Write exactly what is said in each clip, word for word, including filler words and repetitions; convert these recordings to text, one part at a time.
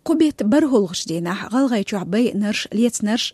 Кху бетта бархӀалгӀачу дийнахь ГӀалгӀайчохь байинарш, лецнарш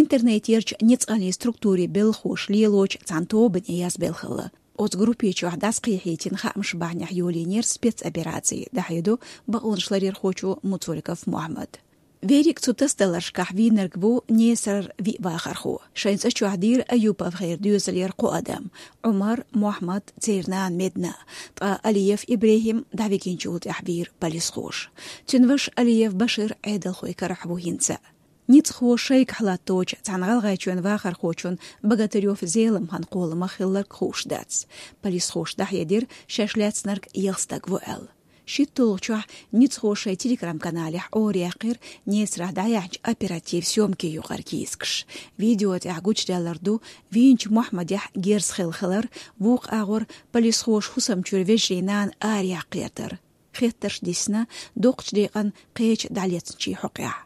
интернетерчу ницкъаллин структурийн белхахоша лелочу цхьана тобане язбелла хилла. Оцу группе чохь дӀасакхехьийтина хаамаш бахьанехь йолийнера спецопераци, дӀахьедо бакъонашларъярхочо Муцуриков Мохьмад. Верриг цу тасадаларшкахь вийнарг ву Несарара виъ вахархо. Шайн цӀа чохь дийра Аюпов Хейран доьзалера кхо адам: Ӏумар, Мохьмад, церан нана Медна. Ткъа Алиев ИбрехӀим дӀавигинчул тӀаьхьа вийра полисхоша. Цуьнан ваша Алиев Башир Ӏедалхойн карахь ву хӀинца а. Ницкъахоша шайгахь латточу цхьана ГӀалгӀайчоьнан вахархочун Богатырёв Зеламхьан кхоламах хилларг хууш дац. Полисхоша дӀахьедира, шаьш лаьцнарг ялх стаг ву аьлла. ШийтталгӀачохь ницкъахоша шайн Telegram-каналехь Ӏораяьккхира Несарахь дӀаяьхьначу оперативан съёмкийн юкъара кийсакаш. Видео тӀехь гучудаьлларг ду вийначу Мохьмадехь герз хилла хилар, вукху агӀор полисхоша хӀусам чуьра вежарийн нана араяккха гӀертар. Хеттарш диссина доккхачу декъана кхечу дӀалецначийн хьокъехь.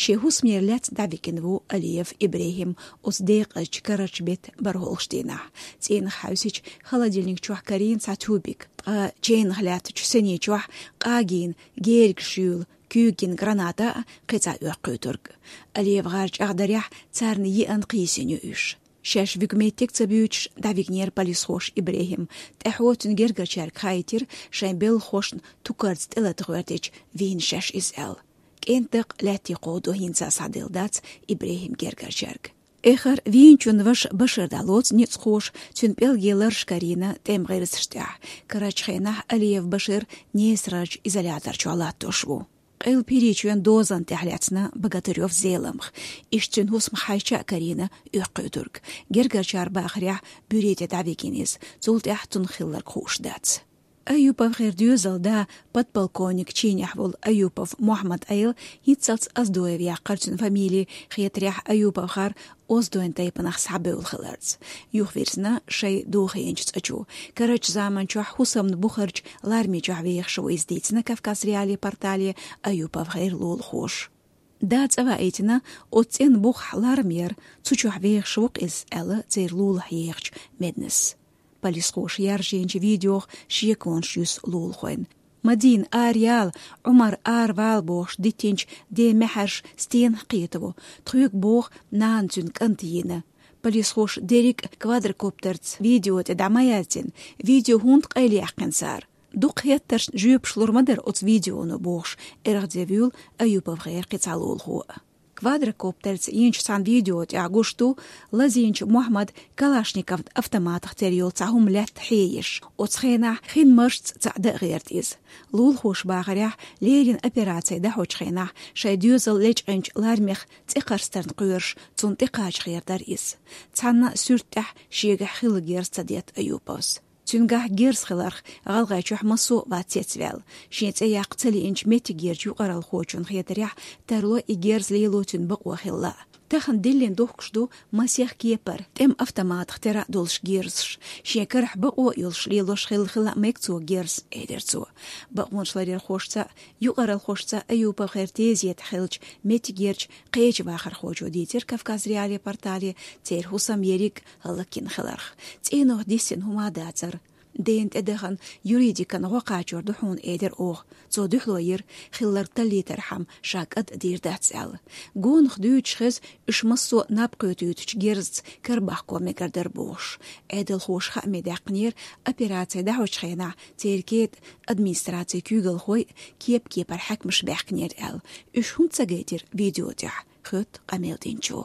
Шен хӀусамера лаьцна дӀавигина ву Алиев ИбрехӀим оцу декъазчу карарчу беттан бархӀалгӀачу дийнахь. ЦӀийнах хьаьвсича, холодильник чохь карийна цхьа тюбик, ткъа чайнах лаьттачу сине чохь къагийна, герга шуьйла, куьйга гина граната а, кхин цхьа оьккхуьйтург. Алиев гӀар чӀагӀдарехь, царна еана кхийсина ю уьш. Шаьш вуьгу меттиг ца буьйцуш, дӀавигинера полисхоша ИбрехӀим. ТӀаьхьо цуьнан гергарчаьрга хаийтира, шайн белхахошна тукарца тӀелата гӀоьртича, вийна шаьш иза аьлла. КӀентан дакъа лаьтте кховдо хӀинца а схьаделла дац ИбрехӀиман гергарчаьрга. Эххар вийначун ваша Башир дӀалоцу ницкъахоша, цуьнан пӀелге лараш карийна тӀеман гӀирсаш тӀехь. Карарчу хенахь Алиев Башир Несарарчу изолятор чохь латтош ву. Къилба ХӀирийчоьнан дозанна тӀехь лаьцна Богатырёв Зеламха. Иштта цуьнан хӀусамах хьаьжча а карийна оьккхуьйтург. Гергарчара бахарехь, буьре тӀе дӀавигина иза, цул тӀаьхьа цунах хилларг хууш дац. Аюпов Хейран доьзалан да, подполковник чинехь волу Аюпов Мохьмад Ӏела, хӀинццалц Оздоев яьккхира цуьнан фамили, хетарехь, Аюповхар оздойн тайпанах схьабевлла хиларца. Юхавирзина шайн дохийначу цӀа чу. Карарчу заманчохь хӀусамна бухарчу ларме чохь вехаш ву иза, дийцина Кавказ.Реалии портале Аюпов Хейран лулахоша. Да цӀа ваийтина, оцу цӀенна бухахь ларма яра, цу чохь вехаш ву-кх иза, аьлла церан лулахь ехачу Меднас. Полисхоша яржийначу видеох шеконаш юьсу лулахойн. Мадина, араяла, Ӏумар, аравала бохуш диттинчу ден маьхьарш стенах кхетаво. Тхоьга боху, нана цуьнан кӀант йина. Полисхоша дерриг а квадрокоптерца видео тӀе дӀа ма яздина, видео хӀунда къайлаяьккхина цара? Дукха хеттаршна жоьпаш лур ма дара оцу видеоно, бохуш, эргӀаде вуьйлу Аюпов Хейран кхин цхьа лулахо а. Квадрокоптерца йинчу цхьана видео тӀехь гуш ду, лазийначу Мохьмадан калашников автоматах тера йолу цхьа хӀума лаьтта хьееш. Оцу хенахь хин маршца цхьаъ дан а гӀерта иза. Лулахоша бахарехь, леррина операци дӀахьочу хенахь шайн доьзал лечкъинчу лармех цӀе кхарстарна кхоьруш, цунна тӀекхача гӀертара иза. Цхьанна а суьрта тӀехь шегахь хилла герз ца детта Аюповс. Цуьнгахь герз хиларх ГӀалгӀайчохь массо а вац цецваьлла. Шен цӀе яккха ца лиъначу меттигерчу юкъаралхочунна хетарехь, тарло и герз лело цуьнан бакъо хилла. Тахана диллина дохкуш ду масех кепара, тӀеман автоматах тера а долуш герзаш. Шен карахь бакъо а йолуш лелош хилла хила а мега цо герз, элира цо. Бакъонашларъярхошца а, юкъаралхошца а Аюпов Хейран тезета хилча, меттигерчу кхечу вахархочо дийцира Кавказ.Реалии портале церан хӀусам ерриг а хӀаллакйина хиларх. ЦӀенах диссина хӀума дацара. Дена тӀедахана юридикан гӀо кхачор ду хьуна, элира оха. Цо дуьхьало йира, хилларг таллийтархьама ша кӀад а дийр дац аьлла. Гонах дуьйцуш хеза, уьш массо а наб кхетуьйтучу герзаца карабахко мегар дара бохуш. Ӏедалхоша хааме даьккхинера, операци дӀахьочу хенахь церан кетӀа администрацин куьйгалхой а, кеп-кепара хьаькамаш баьхкинера аьлла. Уьш хӀунда ца гайтира видео тӀехь, хоьтту къамел динчо.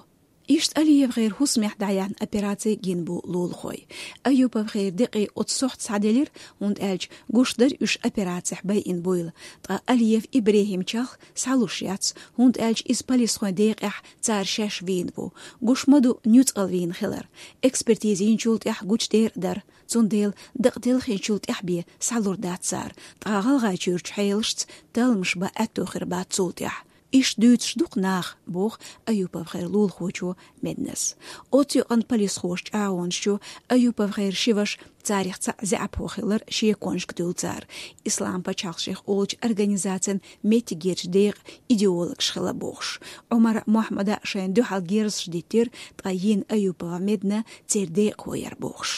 Иштта Алиев Хейран хӀусамехь дӀаяьхьна операци гина бу лулахой. Аюпов Хейран декъий оцу сохьта схьаделира, хӀунда аьлча гуш дара уьш операцехь байина буйла. Ткъа Алиев ИбрехӀима чалх схьалуш яц, хӀунда аьлча иза полисхойн декъехь цара шаьш вийна ву. Гуш ма ду, нуьцкъала вийна хилар. Экспертиза йинчул тӀаьхьа гучудер а дара. Цундела дакъа телхинчул тӀаьхьа бен схьалур дац цара. Ткъа ГӀалгӀайчуьрчу хьелашца талламаш бан аьтто хир бац цул тӀаьхьа. Иштта дуьйцуш ду-кх наха, боху Аюпов Хейран лулахочо Меднас. Оцу юкъана полисхоша чӀагӀонаш йо, Аюпов Хейран ши ваша, царах цхьаъ заьӀапхо хилар шеконашка дуьллу цара, Ислам пачхьалкх шех олучу организацин меттигерчу декъан идеологаш хила бохуш. Ӏумара, Мохьмада шайна дуьхьал герзаш диттира, ткъа йина Аюпова Медна церан декъахо яра бохуш.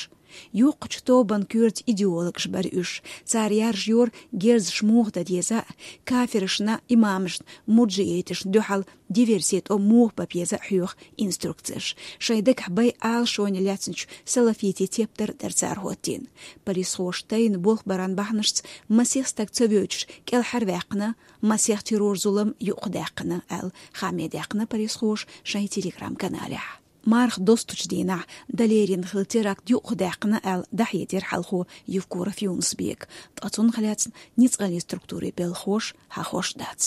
Юкъачу тобанна коьрта идеологаш бара уьш. Цара яржайора герзаш муха дан деза а, кафирашна, имамашна, мурджииташна дуьхьал диверси тӀом муха бан беза а хьоьху инструкцеш. Шайн дагахь бай Ӏалашоне лаьцначу салафитийн тептар дара цара хӀоттийна. Полисхоша тайна болх баран бахьанашца масех стаг ца воьдуш кӀелхьарваьккхина, масех террор-зулам юкъадаьккхина, аьлла, хаамдаьккхина полисхоша шайн Telegram-каналехь. Марха достучу дийнахь Далерина хилла теракт юкъадаьккхина аьлла, дӀахьедира хьалхо Евкуров Юнус-Бека, ткъа цунах лаьцна ницкъаллин структурийн белхахоша хьахош дац.